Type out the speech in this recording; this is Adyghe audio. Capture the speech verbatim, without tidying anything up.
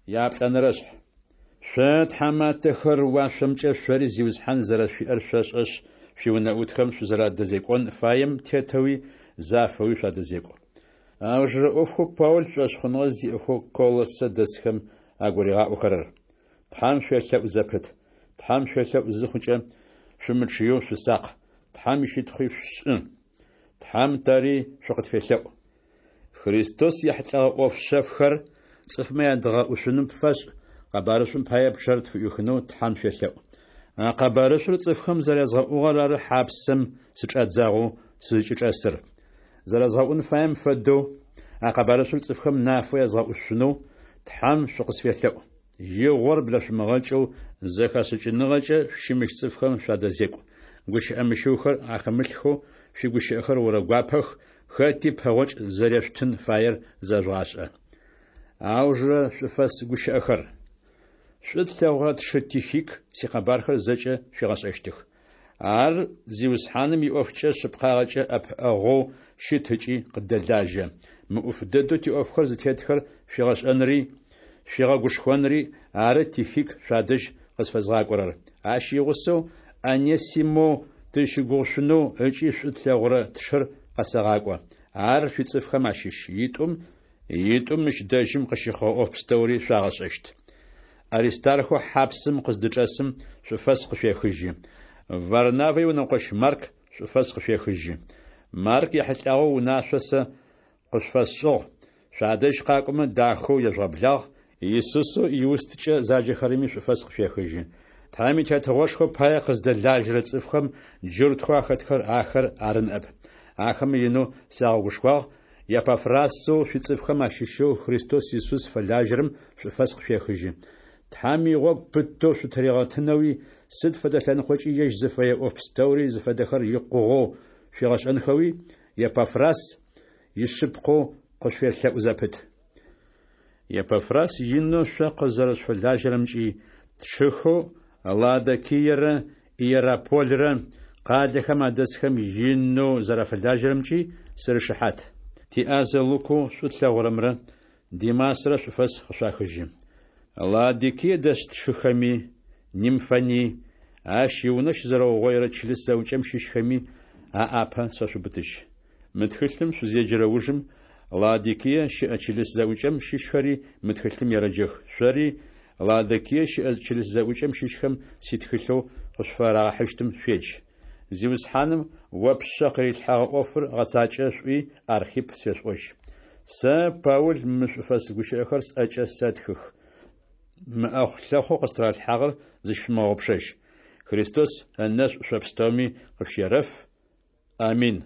Яплӏэнэрэшъхь. Шъо, тхьаматэхэр, уашъомкӏэ шъори Зиусхьан зэрэшъуиӏэр шъошӏэшъ, шъуиунэӏутхэм шъузэрадэзекӏон фаем тетэуи зафэуи шъуадэзекӏу. Аужырэ ӏофхэу Паул шӏошъхъуныгъэ зиӏэхэу Колоссэ дэсхэм агуригъаӏохэрэр. Тхьэм шъуелъэӏу зэпыт. Тхьэм шъуелъэӏу зыхъукӏэ, шъумычъыеу шъусакъ, Тхьэм ищытхъуи шъушӏы. Тхьэм тэри шъукъытфелъэӏу. Христос ехьылӏэгъэ ӏоф шъэфхэр цӏыфмэ ядгъэӏушъуным фэшӏ, къэбарышӏум пае пчъэр тфыӏуихынэу Тхьэм шъуелъэӏу. А къэбарышӏур цӏыфхэм зэрязгъэӏугъэр ары хьапсэм сычӏадзагъэу сызкӏычӏэсыр. Зэрэзгъэӏун фаем фэдэу, а къэбарышӏур цӏыфхэм нафэу язгъэӏушъунэу Тхьэм шъукъысфелъэӏу. Игъор блэшъумыгъэкӏэу зэхэшӏыкӏыныгъэкӏэ шъущымыщ цӏыфхэм шъуадэзекӏу. Гущыӏэ мыщыухэр ахэмылъхэу шъуигущыӏэхэр орэгуапэх, хэти пэгъокӏ зэрешъутын фаер зэжъугъашӏэ. Аужырэ шӏуфэс гущыӏэхэр. Шӏу тлъэгъурэ тшы Тихик сикъэбархэр зэкӏэ шъуигъэшӏэщтых. Ар Зиусхьаным иӏофкӏэ шъыпкъагъэкӏэ ӏэпыӏэгъоу щыт ыкӏи къыддэлажьэ. Мыӏуф дэдэу тиӏофхэр зытетхэр шъуигъэшӏэнри, шъуигъэгушхонри ары Тихик шъуадэжь къызфэзгъакӏорэр. Ащ игъусэу Онесимэу тызщыгугъышъунэу ыкӏи шӏу тлъэгъурэ тшыр къэсэгъакӏо. Ар шъуицӏыфхэм ащыщ. Итӏум итӏум мыщ дэжьым къыщыхъугъэ ӏоф пстэури шъуагъэшӏэщт. Аристархэу хьапсым къыздычӏэсым шӏуфэс къышъуехыжьы. Варнавэ иунэкъощ Марк шӏуфэс къышъуехыжьы. Марк ехьылӏагъэу унашъо сэ къышъуфэсшӏыгъ: шъуадэжь къакӏомэ дахэу ежъугъэблагъ, Исусэу Иусткӏэ заджэхэрэми шӏуфэс къышъуехыжьы. Тхьэм и Тетыгъошхо пае къыздэлажьэрэ цӏыфхэм джуртхэу ахэтхэр ахэр ары ныӏэп. Ахэмэ инэу сагъэгушхуагъ, Епафрасэу шъуицӏыфхэм ащыщэу Христос Исус фэлажьэрэм шӏуфэс къышъуехыжьы. Тхьэм игъогу пытэу шъутыригъэтынэуи, сыд фэдэ лъэныкъокӏи ежь зыфэе ӏоф пстэури зыфэдэхэр икъугъэу шъуигъэшӏэнхэуи Епафрас ишъыпкъэу къышъуфелъэӏу зэпыт. Епафрас инэу шъо къызэрэшъуфэлажьэрэмкӏи, тшыхэу Лаодикиерэ Иерапольрэ къалэхэм адэсхэм инэу зэрафэлажьэрэмкӏи сырышыхьат. Тиӏазэ Лукэу шӏу тлъэгъурэмрэ Димасрэ шӏуфэс къышъуахыжьы. Лаодикие дэс тшыхэми, Нимфэни, ащ иунэ щызэрэугъоирэ чылыс зэӏукӏэм щыщхэми аӏапэ сфэшъубытыжь. Мы тхылъым шъузеджэрэ ужым Лаодикие щыӏэ чылыс зэӏукӏэм щыщхэри мы тхылъым ерэджэх. Шъори Лаодикие щыӏэ чылыс зэӏукӏэм щыщхэм ситхылъэу къышъуфарагъэхьыщтым шъуедж. Зиусхьаным о ппшъэ къырилъхьэгъэ ӏофыр гъэцакӏэ шӏуи Архип сфешъуӏожь. Сэ, Паул, мы шӏуфэс гущыӏэхэр сӏэкӏэ сэтхых. Мы ӏэхъу-лъэхъоу къыстыралъхьагъэр зыщышъумыгъэгъупшэжь. Христос ынэшӏу шъо пстэуми къышъущерэф. Амин.